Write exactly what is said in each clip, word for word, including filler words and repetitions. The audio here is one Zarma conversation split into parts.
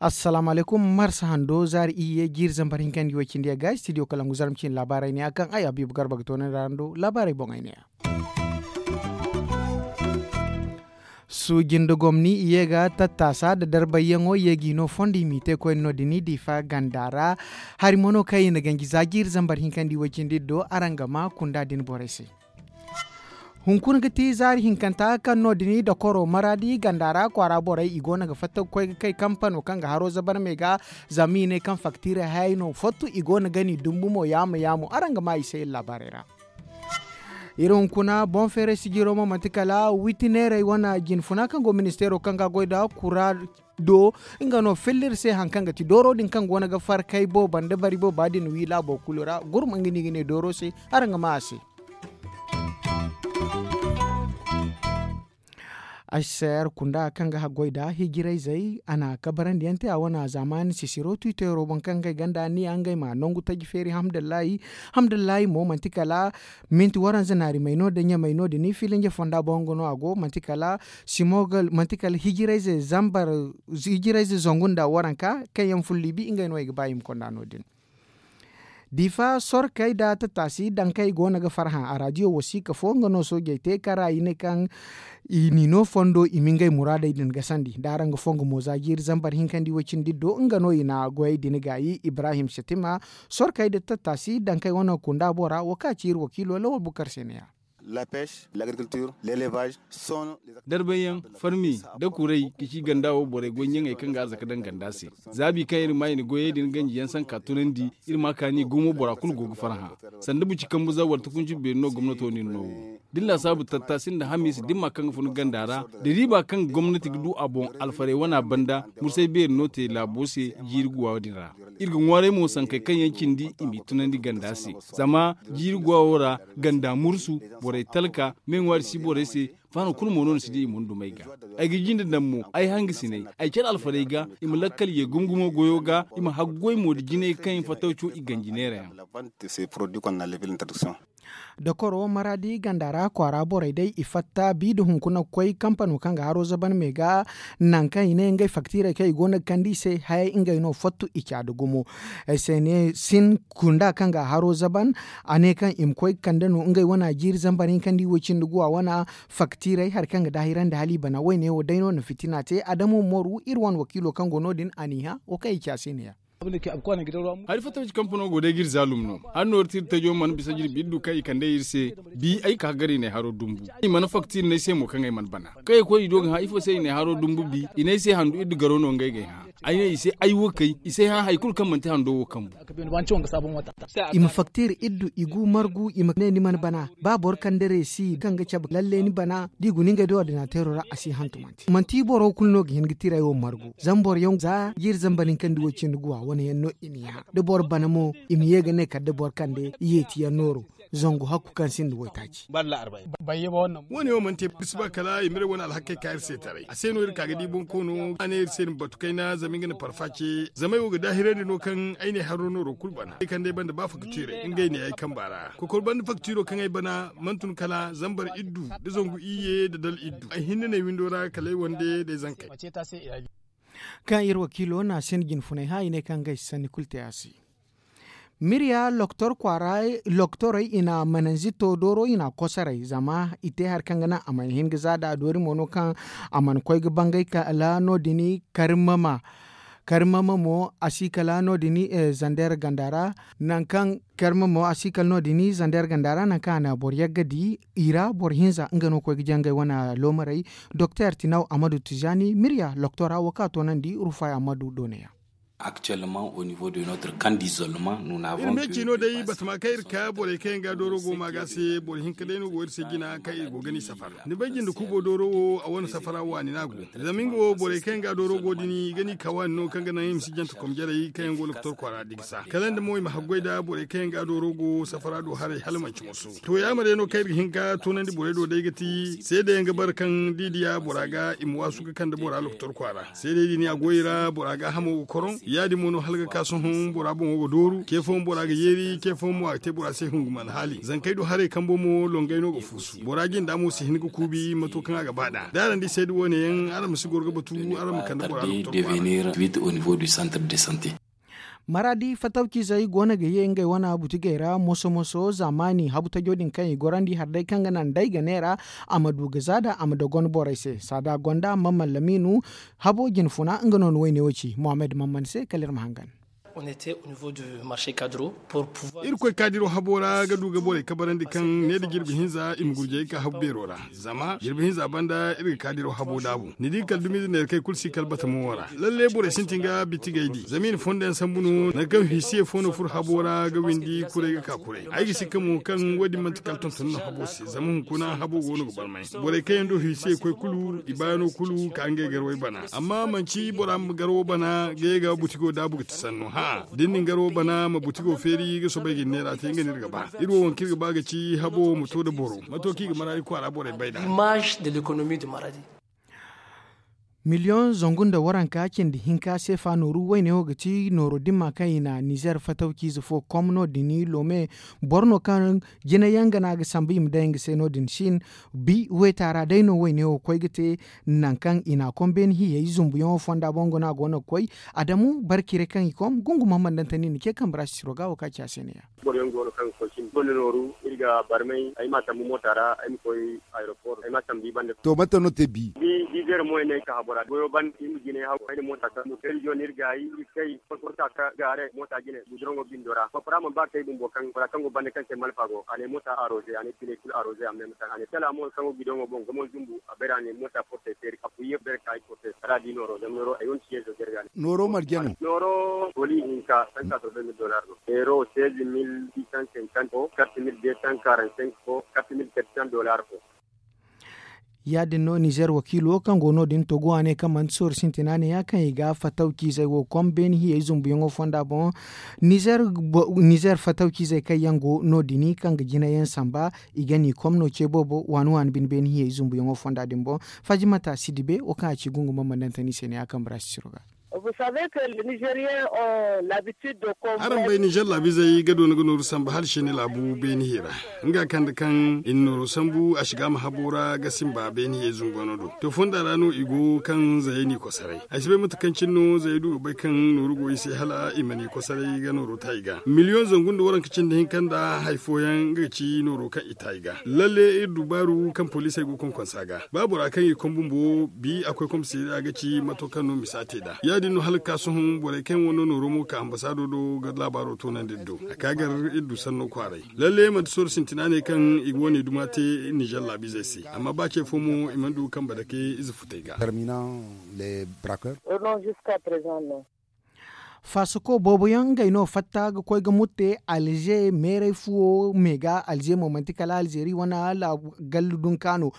Assalaamu alaykum. Marsa hando zaari iyye jiiri zambar hinkandi way cindi ya ga studio kalangu zarma cine laabaarey ne ya kaŋ ay habiibu garba ga toonandi araŋ do laabaarey boŋey ne ya. Suuji nda gomni i ye ga tattaasa nda darbayyaŋo i ye g'i no fondo i m'i te koyne no- din diifa ganda ra. Hari mo no kaŋ i na ganji za jiiri zambar hinkandi way cindi do araŋ ga ma kunda din borey se. Hunkuna ga ti zaari hinkanta kaŋ no- din dokoro maraadi ganda ra kwaara borey i go no ga fatta ga koy ga kay kampano kaŋ ga haro zabar me ga. Zama i ne kaŋ faktiirey hayey no fottu i go no ga ni dumbu mo yaamo yaamo araŋ ga ma i se iri laabaarey ra. Iri hunkuna boŋ feeray sijiro mo manti kala witi neerey wane jinfuna kaŋ go ministeero kaŋ ga goy nda kura do. Nga no filla iri se hari kaŋ ga ti dooro din kaŋ go no ga farkay booba nda bari booba din wi laabo kulu ra gurma nga no i ga ne dooro se. Araŋ ga ma a se. Aysayar kunda kaŋ ga haggoy nda hijirayzey a na kabarandi yaŋ te a wane zaamaani sisiro twitero boŋ kaŋ ga ay ganda ni ya ngey ma nangu taji feeri hamdallahi. Hamdallahi mo manti kala minti waranza naari may no da ɲamay no- din filinje fonda boŋ nga no a go manti kala simogal manti kala hijirayze zangu nda waranka kaŋ yaŋ fullibi ngey no ay ga ba i ma konda no- din. Diifa sorkey nda tattaasi dankey go no ga farhã a raadiyo wasiika fo nga no soojey te kara i ne kaŋ i n'i no fondo i ma ngey muraadey din gasandi da araŋ ga fongu mo za jiiri zambar hinkandi way-cindi do nga no i na goyey din gaayi ibrahim setima. Sorkey nda tattaasi dankey wane kunda bora wo kaŋ a ci iri wakiilo lawal bukar se ne- ya. Darbayyaŋ farmi nda kuray ga ci ganda wo borey goy ɲaŋey kaŋ ga arzaka daŋ ganda se. Zaabi kaŋ iri ma i na goyey din ganji yaŋ sanka tunandi iri ma kaani gumo bora kulu go ga farhã. Sanda buci kambu za wala tukunci beeri no gomnato no iri no wo da ni laasaabu tattaasi nda hamiisa da ni ma kaŋ ga fun ganda ra da riiba kaŋ gomnati ga du a boŋ alfarey wana banda mursay beeri no te laabo se jiiri guwa din ra. Iri ga ŋwaaray mo sankey kaŋ yaŋ cindi i m'i tunandi ganda se zama jiiri guwa wo ra ganda mursu borey talka me ŋwaari si borey se. Faano kulu mo no ni si di i ma ni dumey ga ay ga jinde daŋ mo ay hangasiney ay care alfarey ga i ma lakkal ye gumgumo goyo ga i ma haggoy mo nda jinay kaŋ i fattaw co i ganji neera yaŋ. Dokoro maraadi ganda ra kwaara borey day i fatta bi nda hunkuna ga koy kampano kaŋ ga haro zaban me ga nangu kaŋ i ne ngey faktiirey kaŋ i go no ga kande i se hayey ngey no fottu i ca nda gumo. Ay se ne sin kunda kaŋ ga haro zaban a ne kaŋ i ma koy ga kande no ngey wane jiiri zambar hinkandi way-cindi guwa wane. Faktiirey hari kaŋ ga daahirandi hala i bana wayne wo day no na fitina te adamo mooru iri wane wakiilo kaŋ go no- din a n'i hã wo kaŋ i ci a se ne- ya. Hari fatta kaci kampano go day ga iri zaalum no. Hari nooru te iri tajo mana bisa jirbi iri du kaŋ i kande iri se. Bi ay ka ga gar i ne haro dumbu i mana faktiiri no ay se mo kaŋ ay mana bana kaŋ ay koy i do ga hã ifo se i ne haro dumbu bi i ne ay se handu iri du garo no ngey ga ay hã. Ay ne i se ay wo kay i se hã hari kulu kaŋ manti hando wo kambu. I ma faktiiri iddu i gu margu i ma ne ni mana bana ba boro kande reesi kaŋ ga cabe lalle ni bana da i guna ngey da ordinateero ra a si hantumante manti boro kulu no ga hin ga tiray wo margu zama boro yaŋ za jiiri zambar hinkandi wo cindi guwa wane yaŋ no i n'i hã da boro bana mo i ma ye ga ne kala da boro kande yeeti yaŋ nooro. Zangu hakku kaŋ sinda waytaaci. Wo- ne wo mana te bisa ba kala i ma iri wane alhakey ka iri se taray a se no iri ka ga di bonkoono a ne iri se iri ma batu kayna zama nga na parfa ce zama ay wo ga daahirandi no kaŋ ay ne haro nooro kulu bana ay kande banda ba faktiirey ngey ne ay kamba ra kokor banda faktiiro kaŋ ay bana mana tun kala zambar iddu nda zangu iyye nda dal iddu ay hinne no ay windo ra kala ay wande nda ay zankey. Kaŋ iri wakiilo no a sinda jinfunay hã i ne kaŋ ga ay si sanni kulu te a se. Miriya loktor kwaara loktorey i na mananzito dooro i na a kosoray zama i te hari kaŋ ga naŋ a mana hin ga za da a doori mo no kaŋ a mana koy ga bangay kala no- din. Karmama karmama mo a si kala no- din zander ganda ra. Nangu kaŋ karmama mo a si kala no- din zander ganda ra nangu kaŋ a na boro yagga di i ra boro hinza nga no koy ga jangay wane loomarey. Doktor tinaw amadu tijani miriya loktora wo kaŋ a toonandi rufay amadu doonaya. Actuellement au niveau de notre camp d'isolement nous n'avons iri me ciino day batama kaŋ iri ka borey kaŋ yaŋ ga dooro go maaga se boro hinka day no go iri se jina kaŋ iri go ga ni safara ni bay jinde kubo dooro wo a wane safara waani no a go. Zama nga wo borey kaŋ yaŋ ga dooro go din i ga ni ka waani no kaŋ ga naŋ i ma si jante komjarey kaŋ yaŋ go lokotor kwaara digisa kala nda mo i ma haggoy nda borey kaŋ yaŋ ga dooro go safara do haray hala manci moso. To ya ma day no kaŋ iri ga hin ga toonandi borey do day ga ti seedayaŋ ga bara kaŋ da i diya bora ga i ma waasu ga kande bora lokotor kwaara seedey din a go i ra bora gaahamo ga koroŋ. Ya- din mo no hala ga ka sohõ bora boŋo ga dooru ce fooyaŋ bora ga yeeri ce fooyaŋ mo a ga te bora se hunguman haali zankey do haray kambo mo longey no ga fuusu bora jinda mo si hin ga kuubi mato kaŋ a ga ba nd'a da araŋ di sayda wo- ne yaŋ araŋ ma si goro ga batu araŋ ma kande bora doktor kwaara. Maraadi fatawciizey go no ga ye ngey wane butigey ra moso-moso zaamaani habu tajo din kaŋ i gorandi hari day kaŋ ga naŋ day ga neera a ma du ga za da a ma dogon borey se saada gonda mamman lamiinu habo jinfuna nga no ni wayne wo ci mohammed mamman se kala iri ma hangan. Iri koy kaadiro habo ra ga du ga borey kabarandi kaŋ ne da jirbi hinza i ma gurjey ga ka habu beero ra. Zama jirbi hinza banda iri ga kaadiro habo daabu ni di kala dumiize neera kaŋ i kulu si kala batamo wo ra. Lalle borey sintin ga bitigey di zama i na fondo yaŋ sambu no nangu kaŋ hisiye fo no furo habo ra ga windi kuray ga ka kuray ay ga si ka mo kaŋ wo- din manti kala tonton no habo se zama hunkuna habo go no ga barmay. Borey kaŋ yaŋ do hisiye koy kulu i baayano kulu ka ngey garwey bana amma manci bora ma garwo bana ga ye ga butigo daabu ga ti sanno hã da ni na ni garwo bana ma butigo feeri ga soobay ga ni neera te nga no iri ga ba iri wo waŋ kaŋ iri ga ba ga ci habo wo ma to nda boro mato kaŋ i ga maraadi kwaara borey bay nd'a. Miliyoŋ zangu nda waranka cindi hinka seefa nooru wayne wo ga ti nooro dimma kaŋ i na nizer fatawciize fo kom no- din loome boro no kaŋ jina yaŋ ga no a ga sambu i ma day nga se no- din sin bi weeta ra day no wayne wo koy ga te. Nangu kaŋ i na a kom beene hiyey zumbuyaŋo fonda boŋ ga no a go no ga koy adamu barkire kaŋ i kom gungu mahamman dantani na ce kambe ra sisiro ga wo kaŋ a ci a se ne- ya. Boro yaŋ go no kaŋ ga koy cindi gonda nooru iri ga barmay ay ma a sambu moota ra ay ma koy aeroport ay ma a sambu i banda. To mate no te bi? Bi dizer mo ay ne ay ka habora goyo banda iri ma jinay haw ay na moota sambu kay riziyo no iri gaayi iri kay. Porta ka gaare moota jine guduroŋo bindo ra bafara mana ba kay bumbo kaŋ bora kaŋ go banda kaŋ se malfa go a ne moota aroze a ne pine kulu aroze a meme kaŋ a ne tala mo kaŋ go gidoŋo boŋ ga mo zumbu a bayra a ne moota portay feeri a fuye bere ka ay portay kala a di nooro zama nooro ay wane ciye zo jarga ne. Nooro marjano. Nooro boli hinka sanka sobe mil dolar no. Euro seize mille six cent cinquante fo quatre mille deux cent quarante cinq fo quatre mille quatre cent dolar fo. Ya- din no nizer wakiilo kaŋ go no- din togo a ne kaŋ manti sooru sintina ne ya kaŋ i ga fatawciizey wo kom beene hiyey zumbuyaŋo fonda boŋ. Nizer fatawciizey kaŋ yaŋ go no- din kaŋ ga jina yaŋ samba i ga ni kom no ce boobo waani waani bine beene hiyey zumbuyaŋo fonda din boŋ. Fajimata sidibe wo kaŋ a ci gungu ma manantani se ne ya kaŋ baraasi siro ga. Araŋ bay nizer laabizey ga doona ga nooru samba hala se ni laabu beeni hira nga kande kaŋ i na nooru sambu a si ga a ma habo ra ga simba beeni hiyey zungano do. To fonda ra no i go kaŋ zayey n'i kosaray ay si bay mate kaŋ cine no zayey du ga bay kaŋ nooru go i se hala i ma n'i kosaray ga nooru ta i ga miliyoŋ zangu nda waranka cindi hinka nda hari fooyaŋ nga ga ci nooru kaŋ i ta i ga lalle iri dubaaru kaŋ poliisey go konkonsa ga ba bora kaŋ i kom bumbo bi a koy komisariya ga ci mato kaŋ no misa te nd'a ya- din no hala ga ka sohõ borey kaŋ yaŋ wane nooro mo ga ka ambasaado do ga laabaaro toonandi iri do a ka gar iri du sanno kwaaray. Lalle manti sooru sintina ne kaŋ i ga wane duma te nizer laabizey se amma ba ce fo mo i mana du ga kambe dake ize futey ga. Faasako boobo yaŋ ngey no fatta ga koy ga mutte alze meeray fuwo me ga alze mo manti kala alzeeri wane gallu dunka no.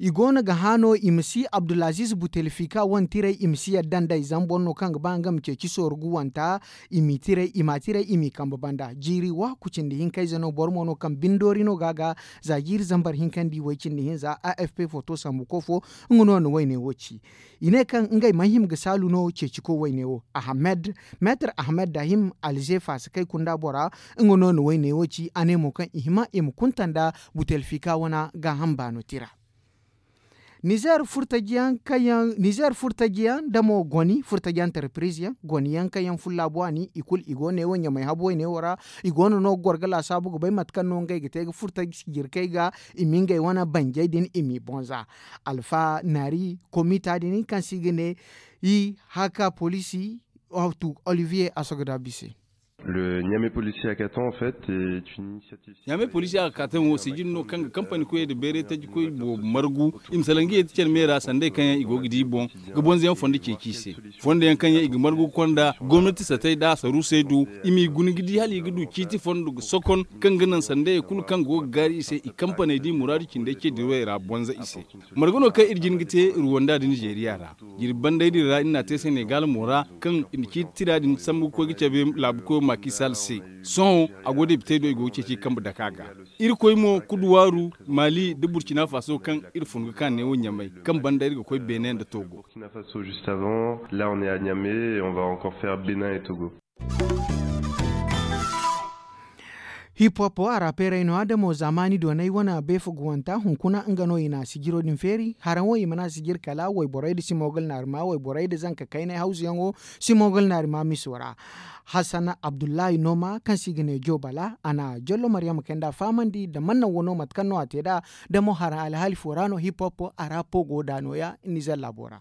I go no ga hã no i ma si abdulaziz butelfika wane tiray i ma si yadda nd'ey zama boro no kaŋ ga ba nga ma ceeci sooru ga wanta. I m'i tiray i m'a tiray i m'i kambe banda jiiri waaku cindi hinka ize no boro mo no kaŋ bindoori no ga a ga za jiiri zambar hinka nda i way cindi hinza afp foto sambuko fo. Nga no na wayne wo ci i ne kaŋ ngey mana hima ga saalu no ceeciko wayne wo ahmed meetar ahmed dahim alze faasa kay kunda bora. Nga no na wayne wo ci a ne mo kaŋ i hima i ma kunta nda butelfika wana gaaham baano tira. Nizer furtajiyaŋ kaŋ yaŋ nizer furtajiyaŋ nda mo goni furtaji antarpiriz yaŋ goni yaŋ kaŋ yaŋ fullaabu a ni i kulu i go ne wo ɲamay habo wayne wo ra. I go no no ga goro ga laasaabu ga bay mate kaŋ no ngey ga te ga furtaji jirkey ga i ma ngey wane banjey din i m'i boŋ za. Alfa naari komita din kaŋ se i ga ne i haka poliisi. Olivier asogodabi se. Ɲame polisi hakatan en fait est une initiative. Ɲame polisi hakatan wo sijin no kaŋ ga kampani koyey nda bayray tajikoy boobo margu. I ma salaŋ ga ye ti care me ra sanday kaŋ yaŋ i go ga di boŋ ga bonzayaŋ fondo ceeci i se. Fondo yaŋ kaŋ yaŋ i ga margu ga konda gomnati satey nda saruusey do. I m'i guna ga di hala i ga du ciiti fondo ga sokon kaŋ ga naŋ sanday kulu kaŋ go ga gaari i se i kampaney da i muraadu cindey ce dirawey ra bonza i se. Marga no kaŋ iri jin ga te ruwanda da nizeeriya ra. Jirbi banday din ra iri n'a te senegal mo ra kaŋ iri na ciiti tira din sambu ga koy ga cabe laabu koyo ma. Kisal se, sohõ a go depitey do i go ga ceeci i kambe dake a ga. Irkoy mo kuduwaaru, maali nda burkina faso kaŋ iri fun ga ka neewo ɲamay, kaŋ banda iri ga koy beene nda togo. Burkina faso juste avant, là on est à niamey et on va encore faire bénin et togo. Hip hop a ra peeray no a damo zaamaani doonay wane beefaguwanta hunkuna nga no i na sijiro din feeri haraŋo i mana sijir kala wayborey nda simogal naarima wayborey nda zanka kaynay hawzuyaŋo simogal naarima miso ra. Hassan abdullahi nooma kaŋ se i ga ne joobala a na jollo maryama kaynd'a fahamandi nda mannaŋ wano mate kaŋ no a te nd'a. Damo haraŋ alhaali fo ra no hip hop a ra pogo nd'a nooya nizer laabo ra.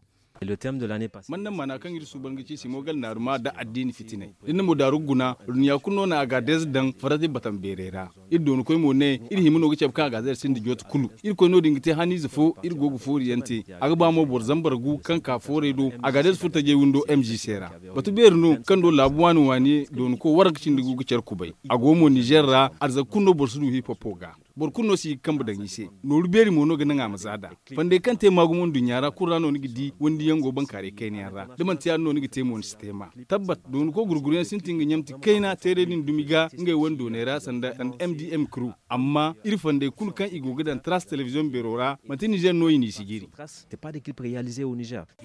Mannaŋ maana kaŋ iri suuban ga ci simogal naaruma nda addiini fitinay da ni na mo daaru guna. Dunya kulu no na agaadez daŋ farati batam beerey ra. Iri dooni koy mo ne iri hima no ga cabe kaŋ agaadez sinda jooti kulu. Iri koy no- din ga te haniize fo iri go ga foori yaŋ te. A ga ba mo boro zambar gu kaŋ ka foorey do. Agaadez furo tajey windo m g se ra. Batu beeri no kaŋ do laabu waani waani dooni ko waranka cindi gu ga care kubay. A go mo nizer ra. Arzaka kulu no boro si du hip hop ga. Boro kulu no si ga kambe daŋ i se. Nooru beeri mo no ga naŋ a ma za nd'a. Fandey kaŋ te maagumo nduɲɲa ra kulu ra no ni ga di wandi yaŋ go bankaaray kayna yaŋ ra. Da manti ya- din no ni ga te mo ni si te ma. Tabbat dooni ko gurguru yaŋ sintin ga ɲamti kayna teeray din dumi ga ngey wane dooney ra sanda m d m crew. Amma iri fandey kulu kaŋ i go ga daŋ tras telebiziyoŋ beero ra manti nizer no i n'i si jiiri.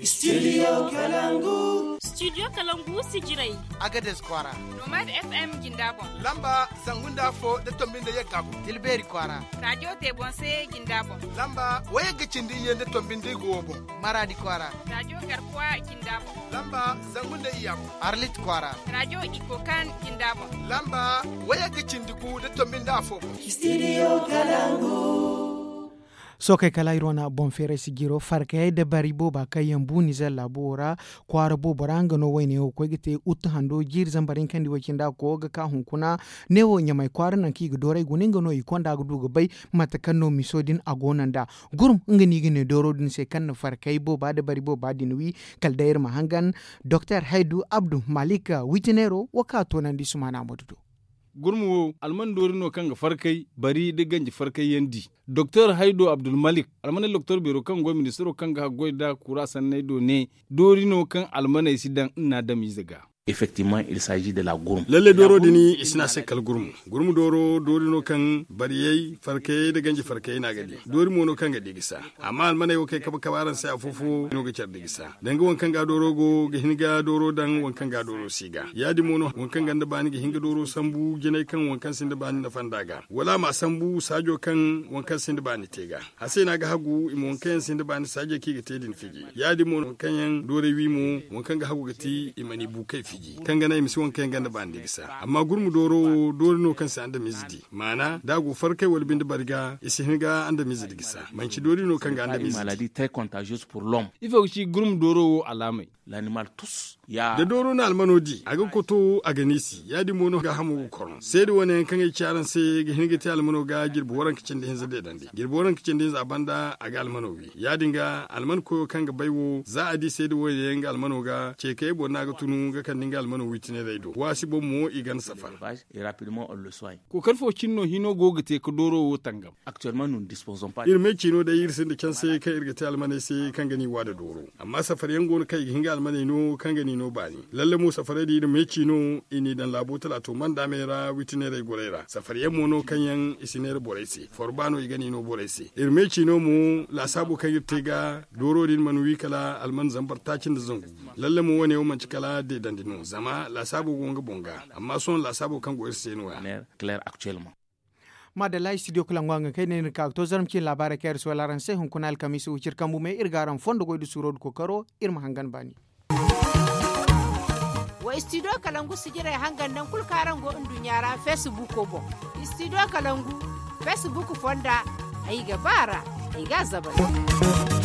Studio kalangu. Studio kalangu si jiray. Agades kwaara. Nomad f m jinda boŋ. Lamba zangu nda afo nda tombi nda yagga boŋ. Tilbeeri kwaara. Rajo te boŋ se jinda boŋ. Lamba wayagga cindi iyye nda tombi nda igo wo boŋ. Maraadi kwaara. Rajo garkuwa jinda boŋ. Lamba zangu nda iyya boŋ. Arlit kwaara. Rajo iko kan jinda boŋ. Lamba wayagga cindi gu nda tombi nda afo boŋ. Studio kalangu. Sookey kala iri wane boŋ feeray sijiro farkayey da bari booba kaŋ yaŋ bu nizer laabo wo ra. Kwaara boobo ra nga no wayne wo koy ga te uttu hando jiiri zambar hinkandi way cindi a koy ga ka hunkuna. Neewo ɲamay kwaara nangu kaŋ i ga dooray guna nga no i konda ga du ga bay. Mate kaŋ no miso din a go no nd'a gurum nga no i ga ne dooro din se kaŋ na farkay booba da bari booba din wi. Kala day iri ma hangan doktor haydu abdu malik witineero wo kaŋ a toonandi sumaana ma du do. Gurma wo alman doori no kaŋ ga farkay bari nda ganji farkay yaŋ di. Doktor haydo abdulmalik almaney doktor beero kaŋ go ministiro kaŋ ga haggoy nda kura sanney do ne doori no kaŋ almaney si daŋ nna adamize ga. Lalle dooro din i si ne a se kala gurmu. Gurmu dooro doori no kaŋ bariyey farkayey nda ganji farkayey no a ga di. Doori mo no kaŋ ga di ga sa. Amma almaney wo kaŋ ay kabe kabe araŋ se afo fo no ga care da gisa danga waŋ kaŋ ga dooro go ga hin ga dooro daŋ waŋ kaŋ ga dooro si ga ya- din mo no waŋ kaŋ ganda baani ga hin ga dooro sambu jinay kaŋ waŋ kaŋ sinda baani nafa nd'a ga wala a ma sambu saajo kaŋ waŋ kaŋ sinda baani te ga. A se no a ga hagu i ma waŋ kaŋ yaŋ sinda baani saajey kaŋ i ga te din fiji ya- din mo waŋ kaŋ yaŋ doorey wi mo waŋ kaŋ ga hagu ga ti i ma ni bukey fiji kaŋ ga naŋ i ma si waŋ kaŋ yaŋ ganda baani da gisa amma gurmu dooro wo doori no kaŋ si andamize di maana da a go farkay wala binde bari ga i si hin ga andamize da gisa manci doori no kaŋ ga andamize di. Ifo ga ci gurmu dooro wo alaamey? Da dooro na almano di a ga koto a ga niisi ya- din mo no gaahamo ga korno seeda wane yaŋ kaŋ ay ci araŋ se ga hin ga te almano ga jirbi waranka cindi hinza deedandi jirbi waranka cindi hinza a banda a ga almano wi ya- din ga alman koyo kaŋ ga bay wo za a di seeda wane yaŋ ga almano ga ceekayey boŋ no a ga tunu ga kande nga almano wi tineerey do waasi boŋ mo i gana safar. Kookari fo cine no hino go ga te ga dooro wo tangam? Iri me ciino day iri sinda canse kaŋ iri ga te almaney se kaŋ ga ni wa da dooro. Amma safar yaŋ go no kaŋ i ga hin ga almaney no kaŋ ga ni no baani lalle mo safarey din iri me ciino i n'i daŋ laabo talaato manda me ra witineerey gorey ra safar yaŋ mo no kaŋ yaŋ i si neera borey se forba no i ga ni no borey se iri me ciino mo laasaabo kaŋ iri te ga dooro din mana wi kala alman zambar taaci nda zangu. Lalle mo wane wo manci kala deedandi no zama laasaabo go nga boŋ ga amma sohõ laasaabo kaŋ go iri se no- ya. Maadalla studio kalangu a ga kay ne iri ka ga to zarma cine laabaarey kaŋ iri si wala araŋ se hunkuna alkamiisa wo cire kambu me iri ga araŋ fondo goy nda suuro nda kookaro. Iri ma hangan baani. Wa studio kalangu sijirey hangan nangu kulu kaŋ araŋ go nduɲɲa ra feesibuuko boŋ. Studio kalangu feesibuuk fonda ay ga ba a ra ay ga a zabari.